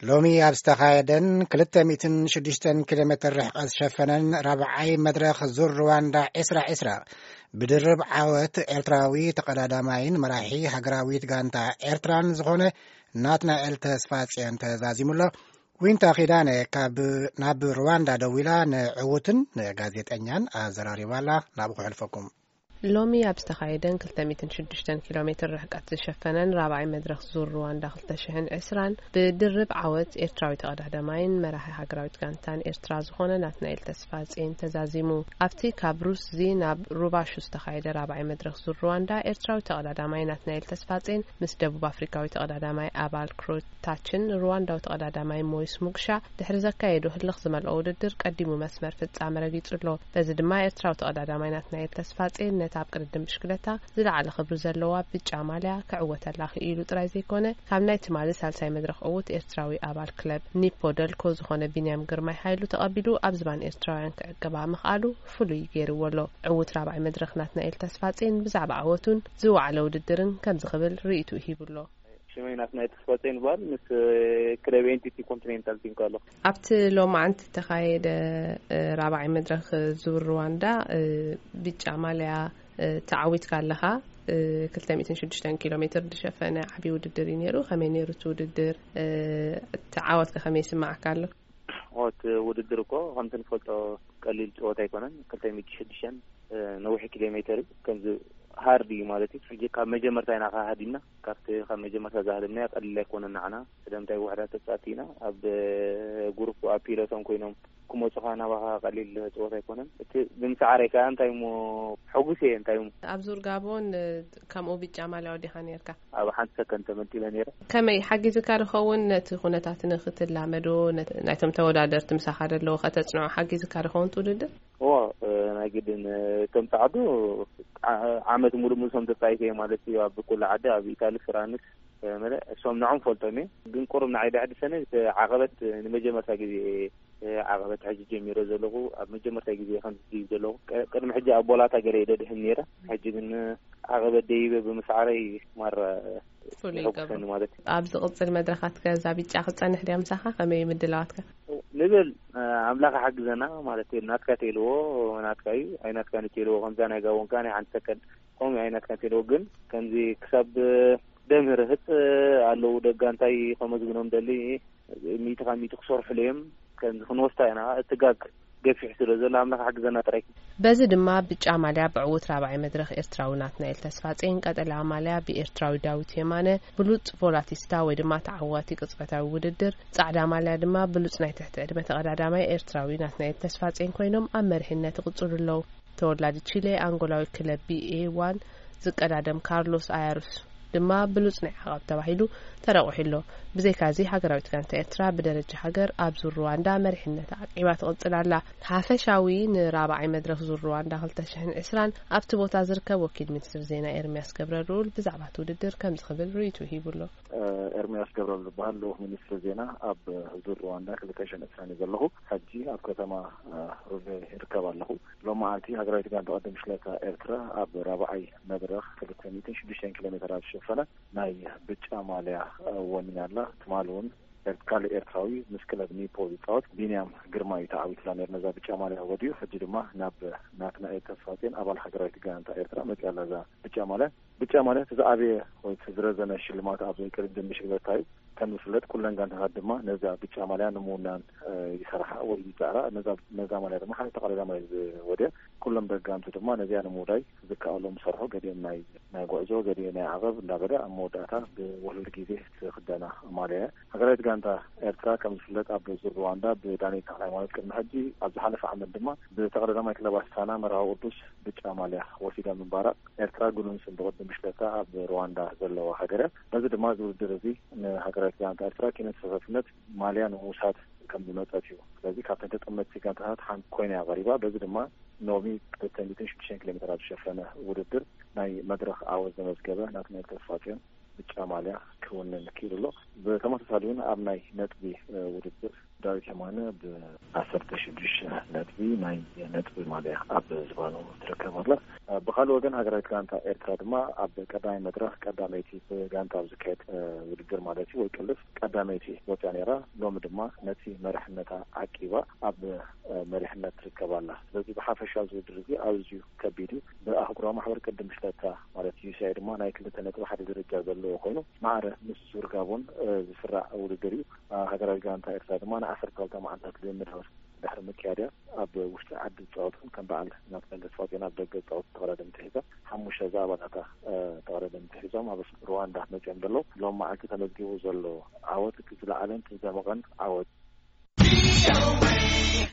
ሎሚ ኣብ ዝተኻየደን ክልተ ሚእትን ሽዱሽተን ኪሎ ሜትር ርሕቀት ዝሸፈነን ራብዓይ መድረኽ ዙር ሩዋንዳ ዕስራ ዕስራ፣ ብድርብ ዓወት ኤርትራዊ ተቐዳዳማይን መራሒ ሃገራዊት ጋንታ ኤርትራን ዝኾነ ናትናኤል ተስፋጽዮን ተዛዚሙ ኣሎ። ዊንታ ኪዳነ ካብ፣ ናብ ሩዋንዳ ደዊላ ንዕዉትን ንጋዜጠኛን ኣዘራሪባ ኣላ። ናብኡ ክሕልፈኩም። ሎሚ ኣብ ዝተኻየደን ክልተ ሚእትን ሽዱሽተን ኪሎ ሜትር ርሕቀት ዝሸፈነን ራብዓይ መድረኽ ዙር ሩዋንዳ ክልተ ሽሕን ዕስራን ብድርብ ዓወት ኤርትራዊ ተቐዳዳማይን መራሒ ሃገራዊት ጋንታን ኤርትራ ዝኾነ ናትናኤል ተስፋጽዮን ተዛዚሙ። ኣብቲ ካብ ሩስዚ ናብ ሩባሹ ዝተኻየደ ራብዓይ መድረኽ ዙር ሩዋንዳ ኤርትራዊ ተቐዳዳማይ ናትናኤል ተስፋጽዮን ምስ ደቡብ ኣፍሪካዊ ተቐዳዳማይ ኣባል ክሮታችን ሩዋንዳዊ ተቐዳዳማይ ሞይስ ሙግሻ ድሕሪ ዘካየዶ ህልኽ ዝመልኦ ውድድር ቀዲሙ መስመር ፍጻመ ረጊጹ ኣሎ። በዚ ድማ ኤርትራዊ ተቐዳዳማይ ናትናኤል ተስፋጽዮን ነታ ኣብ ቅድድም ብሽክለታ ዝለዓለ ክብሪ ዘለዋ ብጫ ማልያ ክዕወተላ ክኢሉ ጥራይ ዘይኮነ፣ ካብ ናይ ትማሊ ሳልሳይ መድረኽ ዕዉት ኤርትራዊ ኣባል ክለብ ኒፖ ደልኮ ዝኾነ ቢንያም ግርማይ ሃይሉ ተቐቢሉ ኣብ ዝባን ኤርትራውያን ክዕቅባ ምኽኣሉ ፍሉይ ገይርዎ ኣሎ። ዕዉት ራብዓይ መድረኽ ናትናኤል ተስፋጽዮን ብዛዕባ ዓወቱን ዝወዓለ ውድድርን ከምዚ ክብል ርእይቱ ሂቡ ኣሎ። ሽመይ ናትናኤል ተስፋጽዮን ይበሃል። ምስ ክለብ ኤንቲቲ ኮንቲኔንታል ቲንኮ ኣለኹ። ኣብቲ ሎማዓንቲ እተኻየደ ራብዓይ መድረኽ ዙር ሩዋንዳ ብጫ ማልያ ተዓዊትካ ኣለኻ። ክልተ ሚእትን ሽዱሽተን ኪሎ ሜትር ዝሸፈነ ዓብዪ ውድድር እዩ ነይሩ። ከመይ ነይሩ እቲ ውድድር? እቲ ዓወትከ ከመይ ይስምዓካ ኣሎ? እቲ ውድድር እኮ ከምቲ ንፈልጦ ቀሊል ጸወታ ኣይኮነን። ክልተ ሚእቲ ሽዱሽተን ነዊሕ ኪሎ ሜትር እዩ። ከምዚ ሃርድ እዩ ማለት እዩ። ሕጂ ካብ መጀመርታ ኢና ከሃዲምና። ካብቲ ካብ መጀመርታ ዝሃደምናዮ ቀሊል ኣይኮነን ንዓና። ስለምንታይ ውሕዳት ተጻወትቲ ኢና። ኣብ ጉሩፕ ኣብ ፒሎቶም ኮይኖም ክመጹኻ ናባኻ ቀሊል ጸወታ ኣይኮነን። እቲ ብምስዓረይ ከኣ እንታይ እሞ ሕጉስ እየ፣ እንታይ እሞ። ኣብ ዙር ጋቦን ከምኡ ብጫ ማልያ ወዲኻ ነርካ? ኣብ ሓንቲ ሰከንድ ተመንጢለ ነይረ። ከመይ ሓጊዝካ ዝኸውን ነቲ ኩነታት ንክትላመዶ፣ ነት-፣ ናይቶም ተወዳደርቲ ምሳኻ ዘለዉ ከተጽንዖ ሓጊዝካ ዝኸውን እቲ ውድድር? እዎ፣ እ፣ ናይ ግድን፣ እ፣ ከም ጻዕዱ ዓ-፣ ዓመት ሙሉእ ሙሉእ ከም ተጻይተ እየ ማለት እዩ። ኣብ ኩሉ ዓዲ፣ ኣብ ኢታሊ፣ ፍራንስ፣ እ፣ መለ-፣ እሶም ንዖም ፈልጦም እየ። ግን ቁሩብ ንዓይ ደዕድሰኒ እቲ ዓቐበት፣ እ፣ ንመጀመርታ ግዜ እየ፣ እ፣ ዓቐበት ሕጂ ጀሚረ ዘለኹ። ኣብ መጀመርታ ግዜ ከም ዝድይብ ዘለኹ። ቀ-፣ ቅድሚ ሕጂ ኣብ ቦላታ ገለ እየ ደድሕን ነይረ። ሕጂ ግን፣ እ፣ ዓቐበት ደይበ ብምስዓረይ ማራ ፍሉይ ይገብሮ። የሐጉሰኒ ማለት እዩ። ኣብ ዝቕጽል መድረኻት ከ እዛ ብጫ ክትጸንሕ ድያ ምሳኻ? ከመይ እዩ ምድላዋትካ? ንብል፣ እ፣ ኣምላኽ ሓግዘና ማለት እዩ። ናትካ ተልዎ ናትካ እዩ፣ ኣይናትካን ተልዎ ከምዛ ናይ ጋቦንካ ናይ ሓንቲ ሰከንድ ከምኡ ኣይናትካን ተልዎ። ግን ከምዚ ክሳብ ደምህር ህጽ ኣለዉ ደጋ እንታይ ከመዝግኖም ደሊ ሚእቲ ካብ ሚእቲ ክሰርሑሉ እዮም። ከምዚ ክንወስታ ኢና። እቲ ጋግ ገፊሕ ስለ ዘሎ ኣምላኽ ሓግዘና ጥራይ። በዚ ድማ ብጫ ማልያ ብዕዉት ራብዓይ መድረኽ ኤርትራዊ ናትናኤል ተስፋጼን፣ ቀጠልያ ማልያ ብኤርትራዊ ዳዊት የማነ፣ ብሉጽ ቮላቲስታ ወይ ድማ ተዓዋቲ ቅጽበታዊ ውድድር፣ ጻዕዳ ማልያ ድማ ብሉጽ ናይ ትሕቲ ዕድመ ተቐዳዳማይ ኤርትራዊ ናትናኤል ተስፋጼን ኮይኖም ኣብ መሪሕነት ይቕጽሉ ኣለዉ። ተወላዲ ቺሌ፣ ኣንጎላዊ ክለብ ቢ ኤ ዋን ዝቀዳደም ካርሎስ ኣያሩስ ድማ ብሉጽ ናይ ዓቐብ ተባሂሉ ተረቑሑ ኣሎ። ብዘይካዚ፣ ሃገራዊት ጋንታ ኤርትራ ብደረጃ ሃገር ኣብ ዙር ሩዋንዳ መሪሕነታ ዓቂባ ትቕጽል ኣላ። ሓፈሻዊ ንራብዓይ መድረኽ ዙር ሩዋንዳ ክልተ ሽሕን ዕስራን ኣብቲ ቦታ ዝርከብ ወኪል ሚኒስትር ዜና ኤርምያስ ገብረልኡል ብዛዕባ እቲ ውድድር ከምዚ ክብል ርእይቱ ሂቡ ኣሎ። ኤርምያስ ገብረልኡል ዝበሃል ልኡኽ ሚኒስትሪ ዜና ኣብ ዙር ሩዋንዳ ክልተ ሽሕን ዕስራን እዩ ዘለኹ። ሕጂ ኣብ ከተማ ሩሌ ይርከብ ኣለኹ። ሎማዓንቲ ሃገራዊት ጋንታ ቅድድም ብሽክለታ ኤርትራ ኣብ ራብዓይ መድረኽ ክልተ ሚእትን ሽዱሽተን ኪሎ ሜትር ኣብ ዝሸፈነ ናይ ብጫ ማልያ ወኒና ኣላ። ትማሊ እውን ኤር-፣ ካልእ ኤርትራዊ ምስ ክለብ ኒፖ ዝጻወት ቢንያም ግርማ እዩ ተዓዊትላ ነይሩ። ነዛ ብጫ ማልያ ወዲኡ ሕጂ ድማ ናብ ናትናኤል ተስፋጼን ኣባል ሃገራዊት ጋንታ ኤርትራ መጽያ ኣላ እዛ ብጫ ማልያ። ብጫ ማልያ እቲ ዝዓበየ ወይ እቲ ዝረዘነ ሽልማት ኣብ ቅድድም ብሽክለታ እዩ። ከም ዝፍለጥ ኩለን ጋንታታት ድማ ነዛ ብጫ ማልያ ንምውናን፣ እ፣ ይሰርሓ ወይ ይጻዕራ። ነዛ፣ ነዛ ማልያ ድማ ሓደ ተቐዳዳማይ ዝወድያ። ኩሎም ደጋምቲ ድማ ነዚኣ ንምውዳይ ዝከኣሎም ይሰርሑ። ገሊኦም ናይ፣ ናይ ጉዕዞ፣ ገሊኦም ናይ ዓቐብ እንዳበለ ኣብ መወዳእታ ብውህሉል ግዜ ዝኽደና ማልያ እያ። ሃገራዊት ጋንታ ኤርትራ ከም ዝፍለጥ ኣብ ዙር ሩዋንዳ ብዳንኤል ተኽለሃይማኖት ቅድሚ ሕጂ፣ ኣብ ዝሓለፈ ዓመት ድማ ብተቐዳዳማይ ክለብ ኣስታና መርሃዊ ቅዱስ ብጫ ማልያ ወሲዳ ምንባራ ኤርትራ ግኑን ስም ብቕድም ብሽክለታ ኣብ ሩዋንዳ ዘለዋ ሃገር እያ። በዚ ድማ እዚ ውድድር እዚ ንሃገራዊት ጋንታ ኤርትራ ኪነ ተሳታፍነት ማልያ ንምውሳድ ከም ዝመጸት እዩ። ስለዚ ካብተን ተጠመትቲ ጋንታታት ሓንቲ ኮይና እያ ቀሪባ። በዚ ድማ ሎሚ ክልተ ሚእትን ሽዱሽተን ኪሎ ሜትር ኣብ ዝሸፈነ ውድድር ናይ መድረኽ ዓወት ዘመዝገበ ናትናኤል ተስፋጽዮን ብጫ ማልያ ክውንን ክኢሉ ኣሎ። ብተመሳሳሊ እውን ኣብ ናይ ነጥቢ፣ እ፣ ውድድር ዳዊት የማነ ብዓሰርተ ሽዱሽተ ነጥቢ ናይ ነጥቢ ማልያ ኣብ ዝባኑ ትርከብ ኣላ። ብኻልእ ወገን ሃገራዊት ጋንታ ኤርትራ ድማ ኣብ ቀዳማይ መድረኽ ቀዳመይቲ ብጋንታ ኣብ ዝካየድ ውድድር ማለት እዩ ወይ ቅልፍ ቀዳመይቲ ወፅያ ነይራ። ሎሚ ድማ ነቲ መሪሕነታ ዓቂባ ኣብ መሪሕነት ትርከብ ኣላ። ስለዚ ብሓፈሻ እዚ ውድድር እዚ ኣዝዩ ከቢድ እዩ። ብኣህጉራዊ ማሕበር ቅድም ሽለታ ማለት ዩ ሲ ኣይ ድማ ናይ ክልተ ነጥቢ ሓደ ደረጃ ዘለዎ ኮይኑ ማዕረ ምስ ሱር ጋቦን ዝስራዕ ውድድር እዩ። ሃገራዊ ጋንታ ኤርትራ ድማ ንዓሰርተ ክልተ መዓልታት ልምምድ ድሕሪ ምክያድያ ኣብ ውሽጢ ዓዲ ዝፃወቱን ከም በዓል ናትናኤል ተስፋጽዮን ኣብ ደገ ዝፃወቱ ተቐዳደምቲ ሒዛ ሓሙሽተ ዝኣባላታ ተቐዳደምቲ ሒዞም ኣብ ሩዋንዳ መፅኦም ዘለዉ። ሎም መዓልቲ ተመዝጊቡ ዘሎ ዓወት እቲ ዝለዓለን እቲ ዝደመቐን ዓወት።